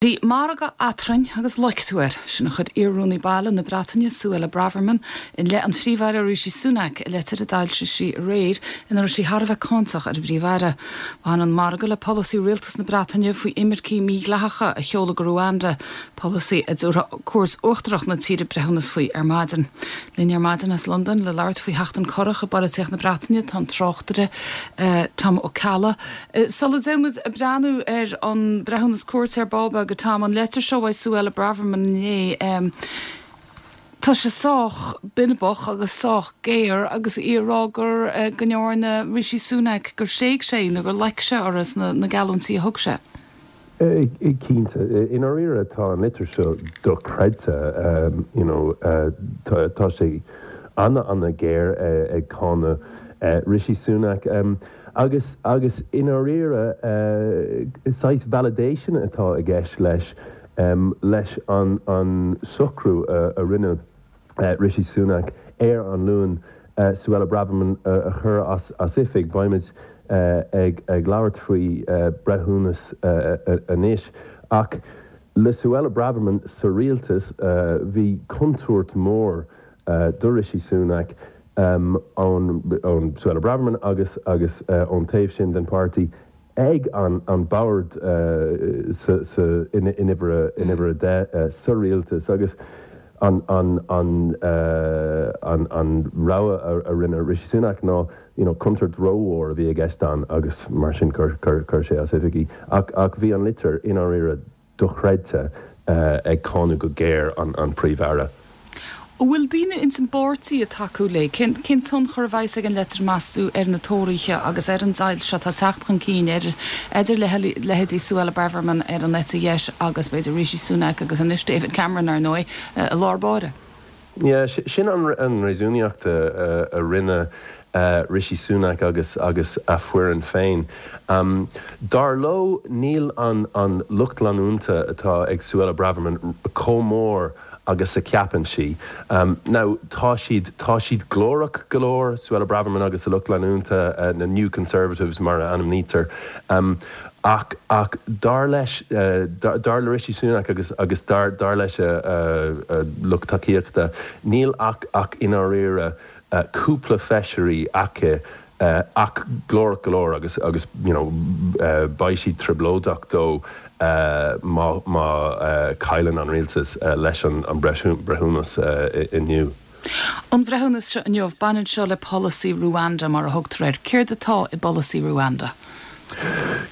Bhí margadh eadrainn agus loic tú air. Sin a chuir iar-Rúnaí Baile na Breataine, Suella Braverman, i leith an Phríomh-Aire Rishi Sunak i leitir a d'fhoilsigh sí aréir ina raibh sí thar a bheith cáinteach ar an bPríomh-Aire. Bhain an margadh le polasaí Rialtas na Breataine faoi imircigh mhídhleathacha a sheoladh go Ruanda, polasaí a dtabharfaidh Cúirt Uachtarach na tíre breithiúnas faoi ar maidin. Linn ar maidin as Londain le labhairt faoi sheachtain corrach i bpolaitíocht na Breataine tá an tráchtaire Tom Ó Ceallaigh. Sula dtéann muid ag breathnú ar an breithiúnas cúirte ar ball beag, a Tom, an leitir seo uaidh Suella Braverman inné, tá sé sách binibeach agus sách géar agus í ag rá gur, go ndearna Rishi Sunak, gur thréig sé í nó gur loic sé uirthi sna na geallúintí a thug sé. Cinnte. I ndáiríre tá an litir seo dochreidte. You know, tá sé ana-ana-ghéar ag cáineadh Rishi Sunak. Agus, agus i ndáiríre, saghas validation atá i gceist leis, leis an, an socrú a rinne Rishi Sunak ar an Luan Suella Braverman a chur as, as oifig. Beimid ag, ag labhairt faoi breithiúnas anois. Ach le Suella Braverman sa rialtas, bhí contúirt mhór do Rishi Sunak ón Suella Braverman agus agus ón taobh sin den pháirtí ag an an bord sa sa in uimhir in uimhir 10 sa rialtas agus an an an an an rogha a rinne Rishi Sunak ná you know contúirt rómhór a bhí i gceist ann agus mar sin chuir chuir sé as oifig í ach ach bhí an litir i ndáiríre dochreidte ag cáineadh go géar an Príomh-Aire. An bhfuil daoine ins an bpáirtí ag tacú léi? Cén tionchar a bheas ag an leitir meas tú ar na Tóraithe agus ar an deighilt seo atá ag teacht chun cinn idir leithéidí Suella Braverman ar an eite dheis agus b'fhéidir Rishi Sunak agus anois David Cameron ar ndóigh i lár báire? Yeah, sin an réasúnaíocht a rinne Rishi Sunak agus agus a foireann féin. Dar leo níl an an lucht leanúnta atá ag Suella Braverman chomh mór agus a cheapann sí. Now tá siad tá siad glórach go leor, Suella Braverman agus a lucht leanúnta, na New Conservatives mar a ainmnítear. Ach, ach dar leis, dar le Rishi Sunak agus, agus dar, dar leis a, a lucht tacaíochta, níl ach, ach i ndáiríre cúpla feisirí aici ach glórach go leor agus, agus you know beidh siad trioblóideach dó má, má chailleann an rialtas leis an, an breithiúnas inniu. An bhreithiúnas seo inniu, baineann seo le polasaí Ruanda mar a thugtar air. Céard atá i bpolasaí Ruanda?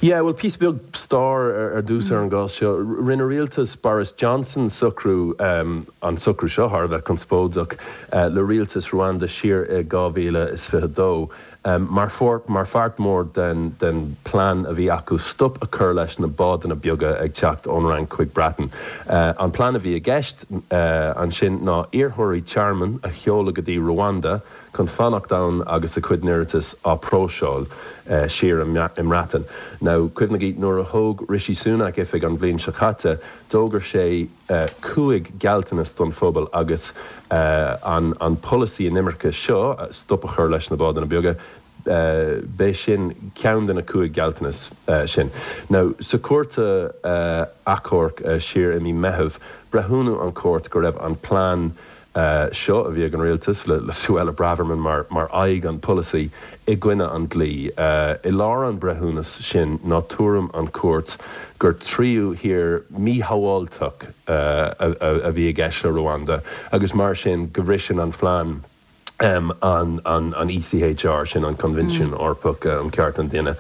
Yeah, bhuel, píosa beag stair ar dtús ar an gcás seo. Rinne rialtas Boris Johnson socrú, an socrú seo thar a bheith conspóideach, le rialtas Ruanda siar i 2022. Mar pháirt mhór den plean a bhí acu stop a chur leis na bádanna beaga ag teacht ón Fhrainc chuig Breatain. An plean a bhí i gceist ansin ná iarrthóirí tearmainn a sheoladh go dtí Rwanda chun fanacht ann agus a cuid n-iarratas á próiseáil siar i mBreatain. Now, cuimhnigí, nuair a thóg Rishi Sunak oifig an bhliain seo caite, d'fhógair sé, 5 gealltanas don phobal agus an polasaí inimirce seo, stop a chur leis na bádanna beaga, b'é sin ceann de na 5 gealltanas sin. Now, sa chúirt achomhairc siar i mí Meitheamh, breithiúnú an chúirt go raibh an plean seo a bhí ag an rialtas, le Suella Braverman mar aghaidh an pholasaí, i gcoinne an dlí. I lár an breithiúnas sin ná tuairim an chúirt gur tríú thír míshábháilteach a bhí i gceist le Rwanda agus mar sin go bhriseann an phlean an ECHR, sin an Coinbhinsiún Eorpach um Chearta an Duine.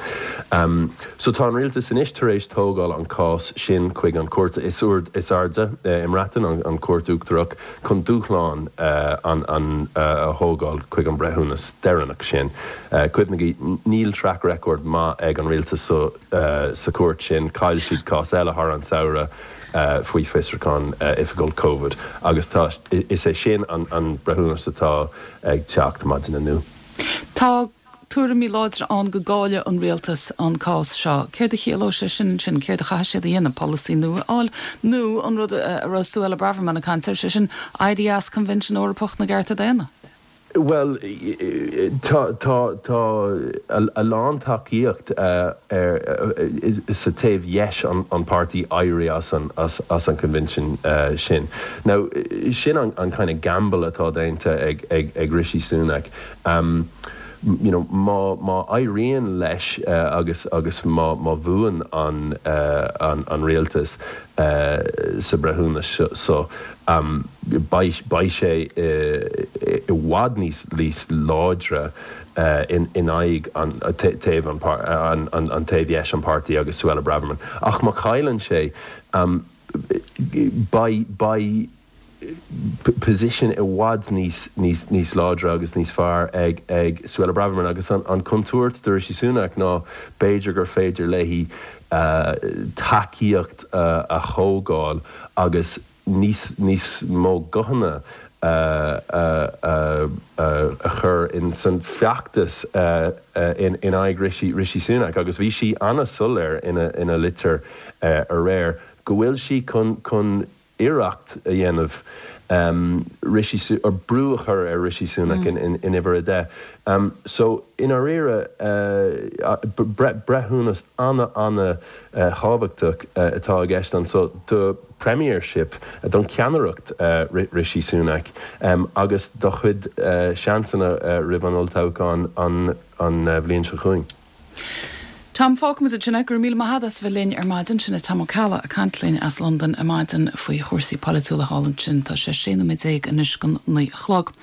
So tá an rialtas anois tar éis tógáil an cás sin chuig an chúirt is airde i mBreatain, an Chúirt Uachtarach, chun dúshlán an a thógáil chuig an breithiúnas deireanach sin. Cuimhnigí, níl track record maith ag an rialtas so sa chúirt sin, chaill siad cás eile thar an samhradh faoi fiosrúchán oifigiúil Covid agus tá, is é sin an breithiúnas atá ag teacht maidin inniu. Tá tuairimí láidre ann go gcaillfidh an rialtas an cás seo. Céard a chiallódh sé sin ansin? Céard a chaithfidh siad a dhéanamh? Polasaí nua a fháil? Nó an rud a raibh Suella Braverman ag caint air, sé sin, éirí as Coinbhinsiún Eorpach na gCearta Daonna? Bhuel, tá tá tá a lán tacaíocht sa taobh dheis an páirtí éirí as an as an Coinbhinsean sin. Now, sin an kind of gamble atá déanta ag ag ag Rishi Sunak. You know, má má éiríonn leis agus agus má má bhuann an an an rialtas sa breithiúnas so, beidh beidh sé i bhfad níos níos láidre in in aghaidh an taobh an an taobh dheis an páirtí agus Suella Braverman. Ach má chailleann sé, beidh beidh position i bhfad níos níos níos láidre agus níos fearr ag ag Suella Braverman agus an an contúirt do Rishi Sunak ná b'fhéidir gur féidir léi tacaíocht a thógáil agus níos níos mó guthanna a a a chur in san feachtas in in aghaidh Rishi Rishi Sunak agus bhí sí an-soiléir ina ina litir aréir go bhfuil sí chun chun iarracht a dhéanamh Rishi or brú a chur ar Rishi Sunak in uimhir 10. So, i ndáiríre, breithiúnas ana-ana-thábhachtach atá i gceist anso do Premiership, don cheannaireacht Rishi Sunak agus dá chuid seansanna roimh an olltoghchán an bhliain seo chugainn. Tom, fágfaimid ansin é. Go raibh míle maith agat as a bheith linn ar maidin. Sin é Tom Ó Ceallaigh ag caint linn as Londain ar maidin faoi chúrsaí polaitiúla thall ansin. Tá sé 16 nóiméad anois don 9 a chlog.